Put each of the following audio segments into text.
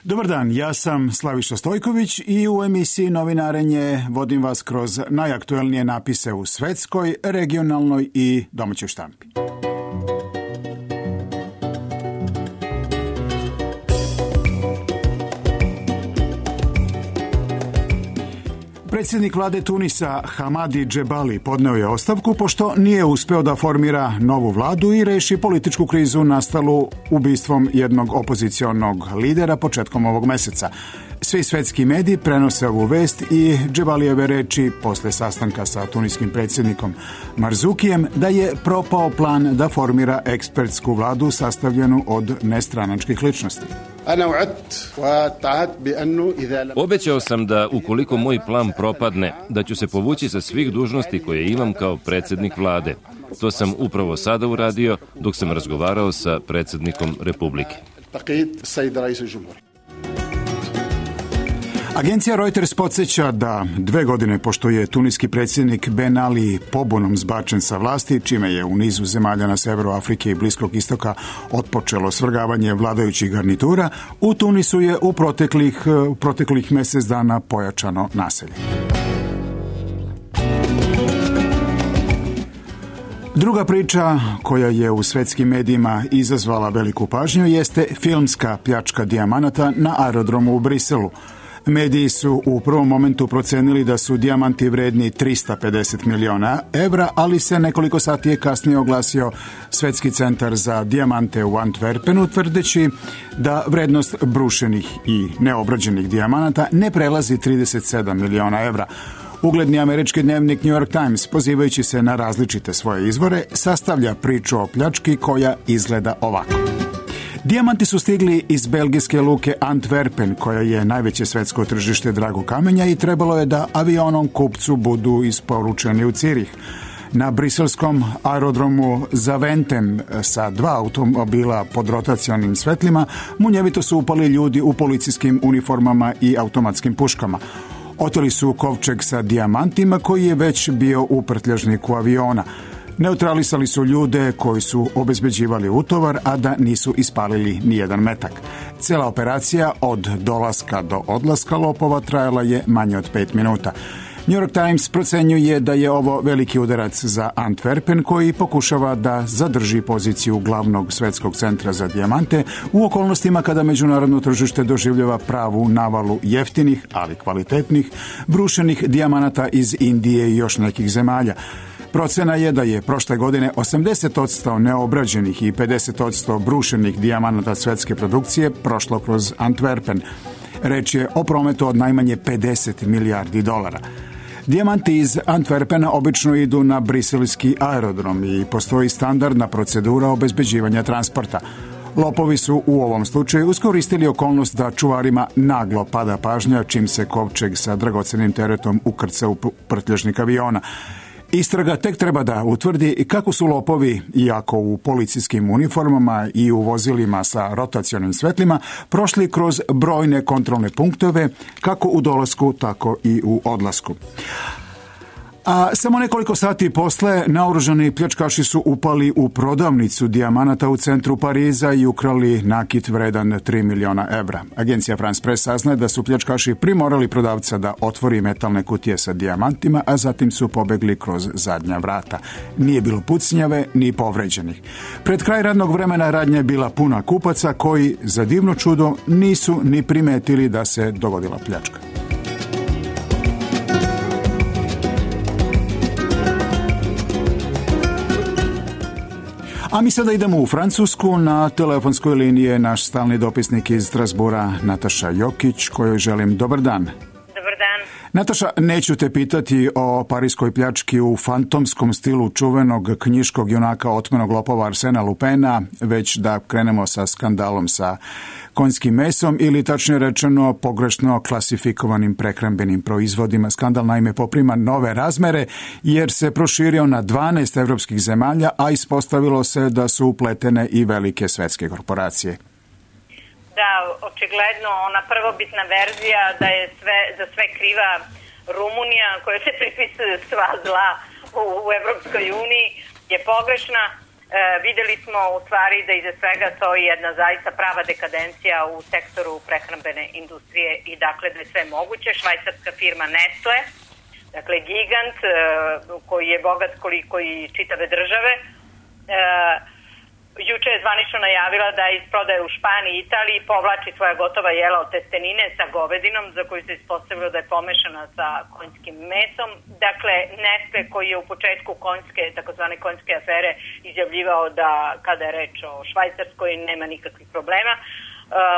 Dobar dan, ja sam Slaviša Stojković i u emisiji Novinarenje vodim vas kroz najaktuelnije napise u svetskoj, regionalnoj i domaćoj štampi. Predsjednik vlade Tunisa Hamadi Džebali podneo je ostavku pošto nije uspeo da formira novu vladu i reši političku krizu nastalu ubistvom jednog opozicionog lidera početkom ovog meseca. Svi svetski mediji prenose ovu vest i Džebalijeve reči posle sastanka sa tuniskim predsjednikom Marzukijem da je propao plan da formira ekspertsku vladu sastavljenu od nestranačkih ličnosti. Obećao sam da ukoliko moj plan propadne, da ću se povući sa svih dužnosti koje imam kao predsjednik vlade. To sam upravo sada uradio dok sam razgovarao sa predsjednikom Republike. Agencija Reuters podsjeća da 2 godine pošto je tuniski predsjednik Ben Ali pobunom zbačen sa vlasti, čime je u nizu zemalja na severu Afrike i Bliskog istoka otpočelo svrgavanje vladajućih garnitura, u Tunisu je u proteklih mjesec dana pojačano nasilje. Druga priča koja je u svetskim medijima izazvala veliku pažnju jeste filmska pljačka dijamanata na aerodromu u Briselu. Mediji su u prvom momentu procenili da su dijamanti vredni 350 miliona evra, ali se nekoliko sati kasnije oglasio Svetski centar za dijamante u Antwerpenu, tvrdeći da vrednost brušenih i neobrađenih dijamanata ne prelazi 37 miliona evra. Ugledni američki dnevnik New York Times, pozivajući se na različite svoje izvore, sastavlja priču o pljački koja izgleda ovako. Dijamanti su stigli iz belgijske luke Antwerpen, koja je najveće svetsko tržište dragog kamenja, i trebalo je da avionom kupcu budu isporučeni u Cirih. Na briselskom aerodromu Zaventem sa 2 automobila pod rotacionim svetlima munjevito su upali ljudi u policijskim uniformama i automatskim puškama. Oteli su kovčeg sa dijamantima koji je već bio u prtljažniku aviona. Neutralisali su ljude koji su obezbeđivali utovar, a da nisu ispalili nijedan metak. Cijela operacija od dolaska do odlaska lopova trajala je manje od 5 minuta. New York Times procenjuje da je ovo veliki udarac za Antwerpen, koji pokušava da zadrži poziciju glavnog svetskog centra za dijamante u okolnostima kada međunarodno tržište doživljava pravu navalu jeftinih, ali kvalitetnih, brušenih dijamanata iz Indije i još nekih zemalja. Procena je da je prošle godine 80% neobrađenih i 50% brušenih dijamanata svetske produkcije prošlo kroz Antwerpen. Reč je o prometu od najmanje 50 milijardi dolara. Dijamanti iz Antwerpena obično idu na briselski aerodrom i postoji standardna procedura obezbeđivanja transporta. Lopovi su u ovom slučaju iskoristili okolnost da čuvarima naglo pada pažnja čim se kovčeg sa dragocenim teretom ukrca u prtljažnik aviona. Istraga tek treba da utvrdi kako su lopovi, iako u policijskim uniformama i u vozilima sa rotacionim svetlima, prošli kroz brojne kontrolne punktove, kako u dolasku, tako i u odlasku. A samo nekoliko sati posle naoružani pljačkaši su upali u prodavnicu dijamanata u centru Pariza i ukrali nakit vredan 3 miliona evra. Agencija France Press saznaje da su pljačkaši primorali prodavca da otvori metalne kutije sa dijamantima, a zatim su pobegli kroz zadnja vrata. Nije bilo pucnjave ni povređenih. Pred kraj radnog vremena radnja je bila puna kupaca koji, za divno čudo, nisu ni primetili da se dogodila pljačka. A mi sada idemo u Francusku. Na telefonskoj liniji je naš stalni dopisnik iz Strasbura, Nataša Jokić, kojoj želim dobar dan. Dobar dan. Nataša, neću te pitati o parijskoj pljački u fantomskom stilu čuvenog knjiškog junaka otmenog lopova Arsena Lupena, već da krenemo sa skandalom sa konjskim mesom ili tačnije rečeno pogrešno klasifikovanim prehrambenim proizvodima. Skandal naime poprima nove razmere jer se proširio na 12 evropskih zemalja, a ispostavilo se da su upletene i velike svetske korporacije. Da, očigledno ona prvobitna verzija da je za sve kriva Rumunija, koja se pripisuje sva zla u Evropskoj uniji, je pogrešna. Videli smo u stvari da iza svega stoji jedna zaista prava dekadencija u sektoru prehrambene industrije i dakle da je sve moguće. Švajcarska firma Nestle, dakle gigant koji je bogat koliko i čitave države, juče je zvanično najavila da iz prodaje u Španiji i Italiji povlači svoja gotova jela od testenine sa govedinom za koju se ispostavilo da je pomešana sa konjskim mesom. Dakle, Nestle koji je u početku takozvane konjske afere izjavljivao da kada je reč o Švajcarskoj nema nikakvih problema,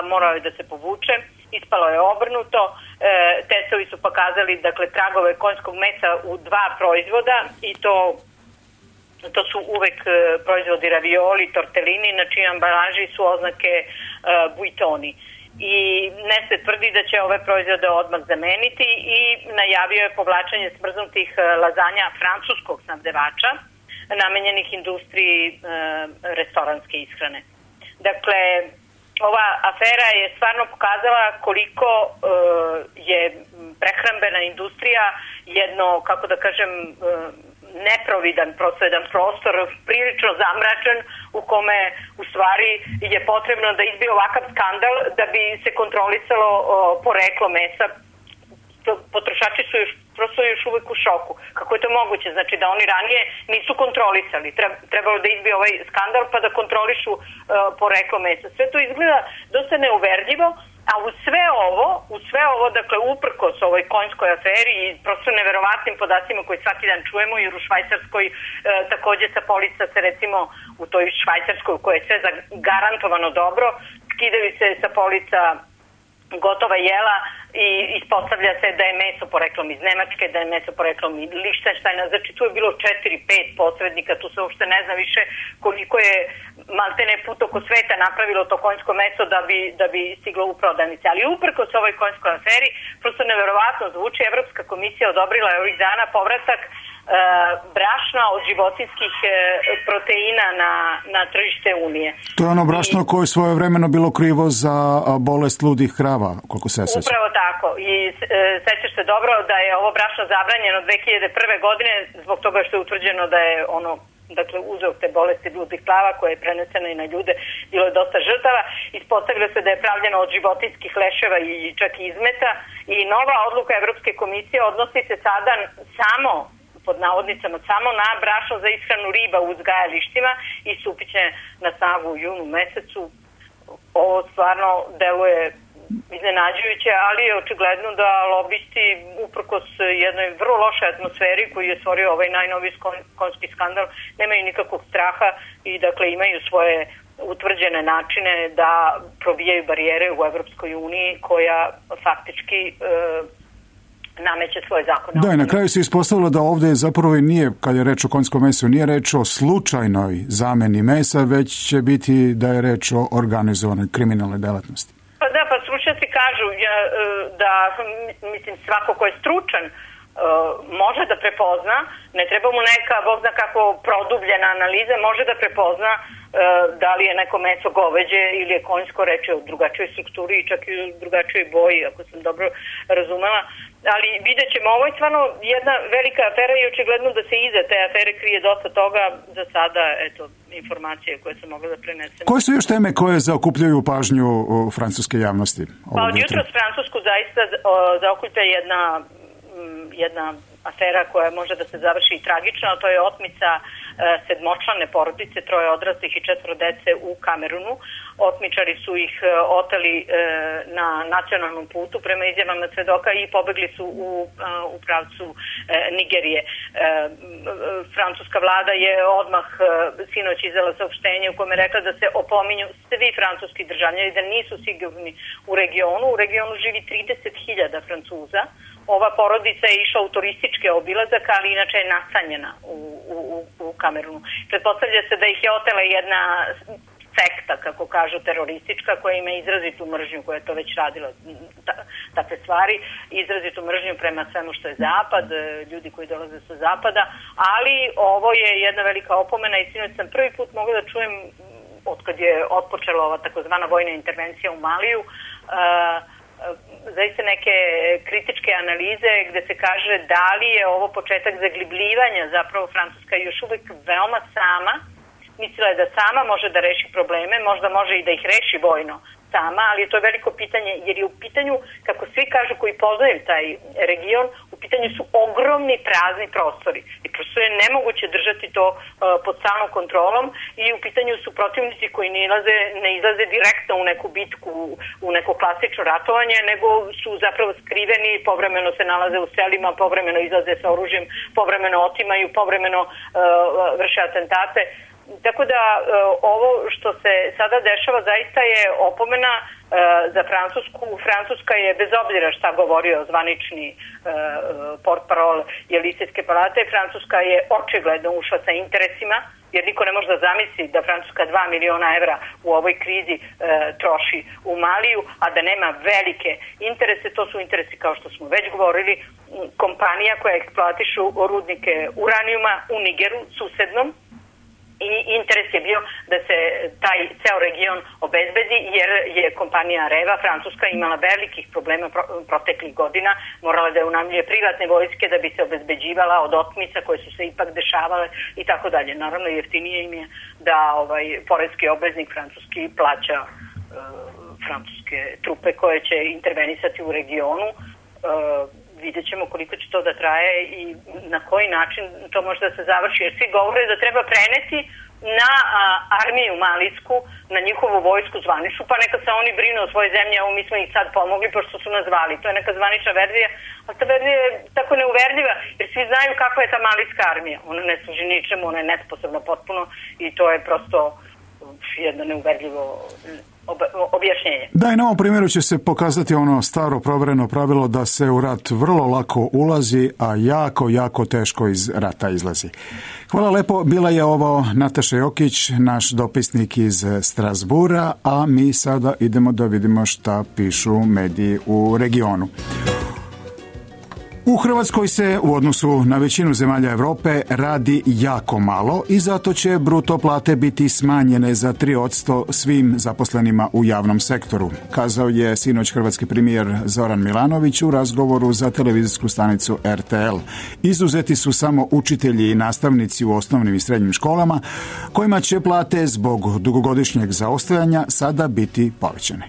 morao je da se povuče. Ispalo je obrnuto. Testovi su pokazali tragove konjskog mesa u 2 proizvoda i to su uvek proizvodi ravioli, tortellini, na čijoj ambalaži su oznake buitoni. I Nestle tvrdi da će ove proizvode odmah zameniti i najavio je povlačenje smrznutih lazanja francuskog snabdevača namenjenih industriji restoranske ishrane. Dakle, ova afera je stvarno pokazala koliko je prehrambena industrija jedno, kako da kažem, neprovidan jedan prostor, prilično zamračen, u kome u stvari je potrebno da izbije ovakav skandal da bi se kontrolisalo poreklo mesa. Potrošači su još uvek u šoku. Kako je to moguće? Znači da oni ranije nisu kontrolisali. Trebalo da izbije ovaj skandal pa da kontrolišu poreklo mesa. Sve to izgleda dosta neuverljivo, a u sve ovo, dakle, uprkos ovoj konjskoj aferi i prosto neverovatnim podacima koji svaki dan čujemo, jer u Švajcarskoj takođe sa polica se, recimo, u toj Švajcarskoj u kojoj je sve garantovano dobro, skidaju se sa polica gotova jela i ispostavlja se da je meso poreklom iz Nemačke, da je meso poreklom iz Lichtensteina. Znači tu je bilo 4-5 posrednika, tu se uopšte ne zna više koliko je maltene put oko sveta napravilo to konjsko meso da bi stiglo u prodavnice. Ali uprkos ovoj konjskoj aferi, prosto neverovatno zvuči, Evropska komisija odobrila je ovih dana povratak brašna od životinskih proteina na tržište Unije. To je ono brašno koje je svojevremeno bilo krivo za bolest ludih krava, koliko se seća. Upravo tako. I sećaš se dobro da je ovo brašno zabranjeno 2001. godine zbog toga što je utvrđeno da je uzrok te bolesti ludih krava koja je prenesena i na ljude, bilo je dosta žrtava. Ispostavilo se da je pravljeno od životinjskih leševa i čak izmeta i nova odluka Evropske komisije odnosi se sada pod navodnicama samo na brašno za ishranu riba u uzgajalištima i stupit će na snagu u junu mesecu. Ovo stvarno deluje iznenađujuće, ali je očigledno da lobisti uprkos jednoj vrlo lošoj atmosferi koju je stvorio ovaj najnoviji konjski skandal nemaju nikakvog straha i dakle imaju svoje utvrđene načine da probijaju barijere u Evropskoj uniji koja faktički nameće svoje zakone. Da, i na kraju se ispostavilo da ovde zapravo i nije, kad je reč o konjskom mesu, nije reč o slučajnoj zameni mesa, već će biti da je reč o organizovanoj kriminalnoj delatnosti. Pa da, stručnjaci kažu da, mislim, svako ko je stručan može da prepozna, ne treba mu neka, bog zna kako produbljena analiza, može da prepozna da li je neko meso goveđe ili je konjsko, reče o drugačijoj strukturi i čak i u drugačijoj boji, ako sam dobro razumela. Ali vidjet ćemo, ovo je stvarno jedna velika afera i očigledno da se iza te afere krije dosta toga. Za sada, eto, informacije koje sam mogla da prenesem. Koje su još teme koje zaokupljaju pažnju francuske javnosti? Pa od jutros Francusku zaista zaokuplja jedna afera koja može da se završi i tragično, a to je otmica sedmočlane porodice, 3 odraslih i 4 dece u Kamerunu. Otmičari su ih oteli na nacionalnom putu prema izjavama svedoka i pobegli su u pravcu Nigerije. Francuska vlada je odmah sinoć izdala saopštenje u kome rekla da se opominju svi francuski državljani da nisu sigurni u regionu. U regionu živi 30.000 Francuza. Ova porodica je išla u turistički obilazak, ali inače je nastanjena u Kamerunu. Pretpostavlja se da ih je otela jedna sekta, kako kažu, teroristička, koja ima izrazitu mržnju, koja je to već radila takve stvari, izrazitu mržnju prema svemu što je zapad, ljudi koji dolaze sa zapada, ali ovo je jedna velika opomena i sinoć sam prvi put mogla da čujem, otkad je otpočela ova takozvana vojna intervencija u Maliju, zaista neke kritičke analize gde se kaže da li je ovo početak zaglibljivanja, zapravo Francuska je još uvek veoma sama mislila je da sama može da reši probleme, možda može i da ih reši vojno sama, ali to je veliko pitanje, jer je u pitanju, kako svi kažu koji poznaju taj region, u pitanju su ogromni prazni prostori i prosto je nemoguće držati to pod stalnom kontrolom i u pitanju su protivnici koji ne izlaze direktno u neku bitku, u neko klasično ratovanje, nego su zapravo skriveni, povremeno se nalaze u selima, povremeno izlaze sa oružjem, povremeno otimaju, povremeno vrše atentate. Tako da ovo što se sada dešava zaista je opomena za Francusku. Francuska je, bez obzira šta govorio zvanični portparol Jelisejske palate, Francuska je očigledno ušla sa interesima, jer niko ne može da zamisli da Francuska 2 miliona evra u ovoj krizi troši u Maliju, a da nema velike interese. To su interesi, kao što smo već govorili, kompanija koja eksploatišu rudnike uranijuma u Nigeru, susednom, i interes je bio da se taj ceo region obezbedi, jer je kompanija Areva, francuska, imala velikih problema proteklih godina, morala da unajmljuje privatne vojske da bi se obezbeđivala od otmica koje su se ipak dešavale i tako dalje. Naravno, jeftinije im je da poreski obveznik francuski plaća francuske trupe koje će intervenisati u regionu. Vidjet ćemo koliko će to da traje i na koji način to može da se završi, jer svi govore da treba preneti na armiju malijsku, na njihovu vojsku zvaničnu, pa neka se oni brinu o svojoj zemlji, a mi smo ih sad pomogli pošto su nas zvali. To je neka zvanična verzija, a ta verzija je tako neuverljiva, jer svi znaju kakva je ta malijska armija. Ona ne služi ničemu, ona je nesposobna potpuno i to je prosto jedno neuverljivo objašnjenje. Da, i na ovom primjeru će se pokazati ono staro provereno pravilo da se u rat vrlo lako ulazi, a jako teško iz rata izlazi. Hvala lepo, bila je ovo Nataša Jokić, naš dopisnik iz Strasbura, a mi sada idemo da vidimo šta pišu mediji u regionu. U Hrvatskoj se u odnosu na većinu zemalja Europe radi jako malo i zato će bruto plate biti smanjene za 3% svim zaposlenima u javnom sektoru, kazao je sinoć hrvatski premijer Zoran Milanović u razgovoru za televizijsku stanicu RTL. Izuzeti su samo učitelji i nastavnici u osnovnim i srednjim školama, kojima će plate zbog dugogodišnjeg zaostajanja sada biti povećane.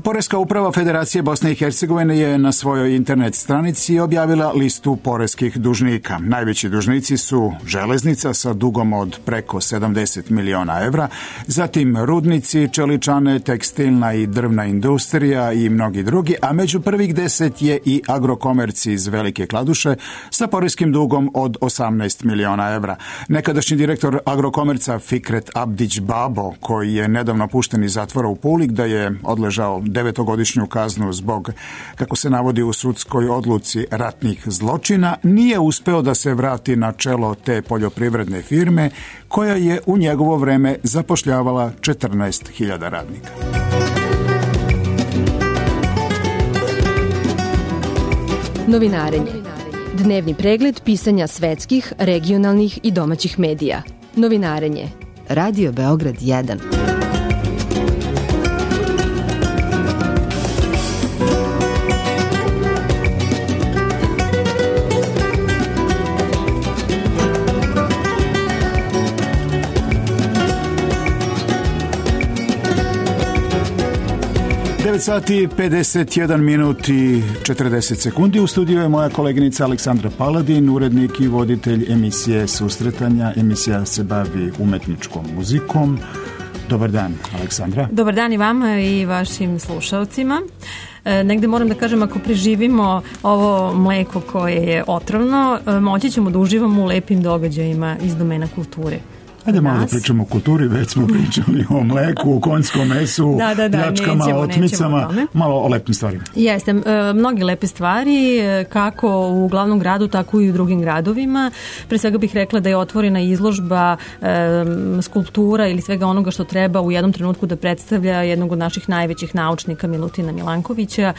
Poreska uprava Federacije Bosne i Hercegovine je na svojoj internet stranici objavila listu poreskih dužnika. Najveći dužnici su Železnica sa dugom od preko 70 miliona evra, zatim rudnici, čeličane, tekstilna i drvna industrija i mnogi drugi, a među prvih 10 je i Agrokomerc iz Velike Kladuše sa poreskim dugom od 18 miliona evra. Nekadašnji direktor Agrokomerca Fikret Abdić Babo, koji je nedavno pušten iz zatvora u Puli gde je odležao 9-godišnju kaznu zbog, kako se navodi u sudskoj odluci, ratnih zločina, nije uspeo da se vrati na čelo te poljoprivredne firme koja je u njegovo vreme zapošljavala 14.000 radnika. Novinarenje. Dnevni pregled pisanja svetskih, regionalnih i domaćih medija. Novinarenje. Radio Beograd 1. Sati 51 minut i 40 sekundi. U studiju je moja koleginica Aleksandra Paladin, urednik i voditelj emisije Susretanja. Emisija se bavi umetničkom muzikom. Dobar dan, Aleksandra. Dobar dan i vama i vašim slušalcima. Negde moram da kažem, ako preživimo ovo mleko koje je otrovno, moći ćemo da uživamo u lepim događajima iz domena kulture. Ajde malo da pričamo o kulturi, već smo pričali o mleku, o konjskom mesu, pljačkama, otmicama, malo o lepim stvarima. Jeste, mnogi lepe stvari, kako u glavnom gradu, tako i u drugim gradovima. Pre svega bih rekla da je otvorena izložba skulptura ili svega onoga što treba u jednom trenutku da predstavlja jednog od naših najvećih naučnika, Milutina Milankovića.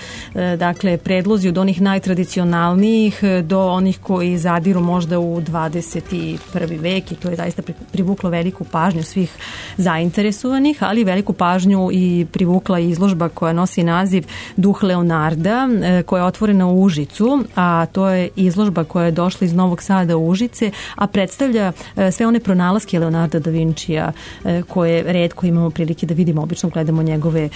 Dakle, predlozi od onih najtradicionalnijih do onih koji zadiru možda u 21. vek i to je zaista privučeno privuklo veliku pažnju svih zainteresovanih, ali veliku pažnju i privukla izložba koja nosi naziv Duh Leonarda, koja je otvorena u Užicu, a to je izložba koja je došla iz Novog Sada u Užice, a predstavlja sve one pronalaske Leonarda da Vincija koje retko imamo prilike da vidimo, obično gledamo njegove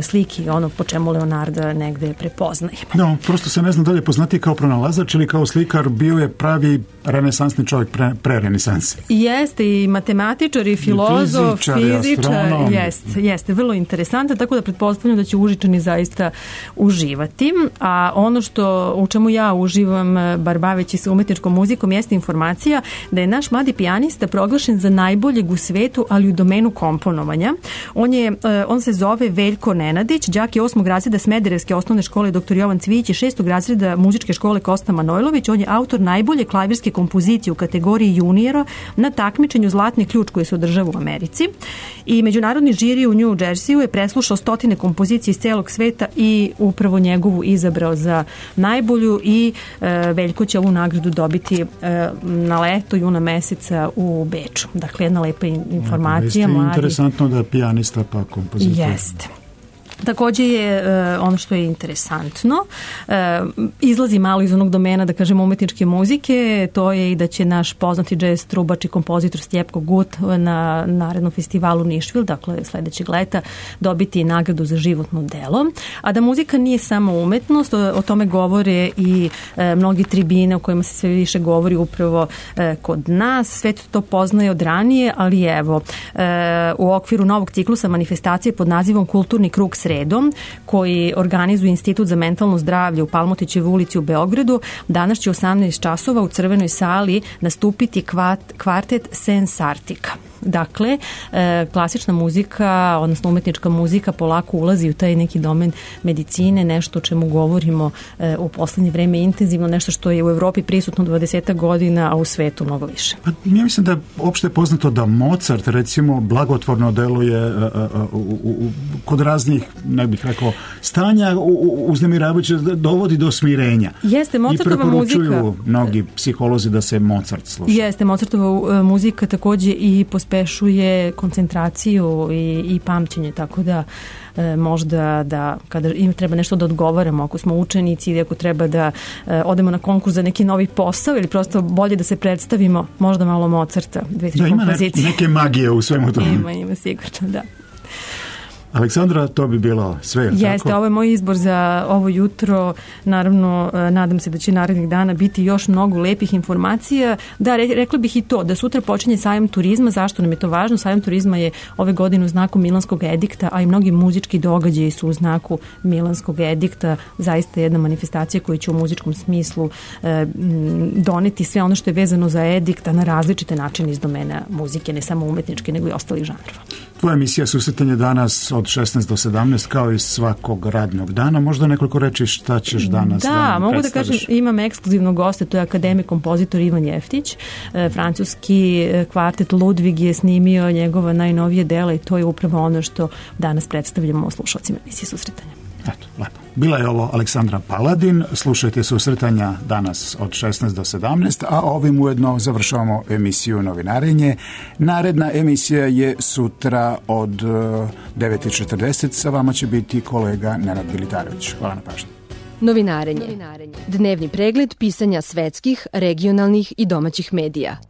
slike i ono po čemu Leonarda negde prepoznajemo. No, prosto se ne znam da li je poznati kao pronalazač ili kao slikar, bio je pravi renesansni čovjek pre renesanse. Jeste i matematičar i filozof, fizičar, jeste, vrlo interesantan, tako da pretpostavljam da će Užičani zaista uživati. A ono u čemu ja uživam, bar baveći se umetničkom muzikom, jeste informacija da je naš mladi pijanista proglašen za najboljeg u svetu, ali u domenu komponovanja. On se zove Veljko Nenadić, đak je 8. razreda Smederevske osnovne škole dr. Jovan Cvijić i 6. razreda muzičke škole Kosta Manojlović. On je autor najbolje klavirske kompozicije u kategoriji juniora na takmičenju Zlatni ključ koji se održava u Americi. I međunarodni žiri u New Jerseyu je preslušao 100 kompozicije iz celog sveta i upravo njegovu izabrao za najbolju i Veljko će ovu nagradu dobiti na leto juna meseca u Beču. Dakle, jedna lepa informacija. Jeste interesantno da pijanista pa kompozitor. Jeste. Takođe je ono što je interesantno, izlazi malo iz onog domena, da kažemo, umetničke muzike, to je i da će naš poznati džez trubač i kompozitor Stjepko Gut na narednom festivalu Nišvil, dakle sledećeg leta, dobiti nagradu za životno delo. A da muzika nije samo umetnost, o tome govore i mnogi tribine o kojima se sve više govori upravo kod nas. Svet to poznaje od ranije, ali evo, u okviru novog ciklusa manifestacije pod nazivom Kulturni krug sredom, koji organizuje Institut za mentalno zdravlje u Palmotićevoj ulici u Beogradu, danas će 18 časova u Crvenoj sali nastupiti kvartet Sensartika. Dakle, klasična muzika, odnosno umetnička muzika polako ulazi u taj neki domen medicine, nešto o čemu govorimo u poslednje vreme intenzivno, nešto što je u Evropi prisutno 20 godina, a u svetu mnogo više. Pa, ja mislim da je opšte poznato da Mozart, recimo, blagotvorno deluje kod raznih, ne bih rekao, stanja uznemiravajuće, dovodi do smirenja. Jeste, Mozartova muzika. I preporučuju mnogi psiholozi da se Mozart sluša. Jeste, Mozartova muzika takođe i pospešuje koncentraciju i pamćenje, tako da možda da kada im treba nešto da odgovaramo, ako smo učenici ili ako treba da odemo na konkurs za neki novi posao ili prosto bolje da se predstavimo, možda malo Mozarta, 2-3 kompozicije. Ima neke magije u svemu tome. Ima sigurno, da. Aleksandra, to bi bilo sve. Jeste, tako? Ovo je moj izbor za ovo jutro. Naravno, nadam se da će narednih dana biti još mnogo lepih informacija. Da, rekla bih i to, da sutra počinje sajam turizma. Zašto nam je to važno? Sajam turizma je ove godine u znaku Milanskog edikta, a i mnogi muzički događaji su u znaku Milanskog edikta. Zaista jedna manifestacija koja će u muzičkom smislu doneti sve ono što je vezano za edikta na različite načine iz domena muzike, ne samo umetničke, nego i ostalih žanrova. Tvoja emisija Susretanje danas od 16 do 17 kao i svakog radnog dana. Možda nekoliko reči šta ćeš danas da nam mogu predstaviš? Da kažem, imam ekskluzivnog gosta, to je akademik kompozitor Ivan Jeftić. Francuski kvartet Ludvig je snimio njegova najnovije dela i to je upravo ono što danas predstavljamo slušalcima emisije Susretanja. Eto, lepo. Bila je ovo Aleksandra Paladin. Slušajte Susretanja danas od 16 do 17, a ovim ujedno završavamo emisiju Novinarenje. Naredna emisija je sutra od 9:40. Sa vama će biti kolega Nenad Bilitarović. Hvala na pažnji. Novinarenje. Dnevni pregled pisanja svetskih, regionalnih i domaćih medija.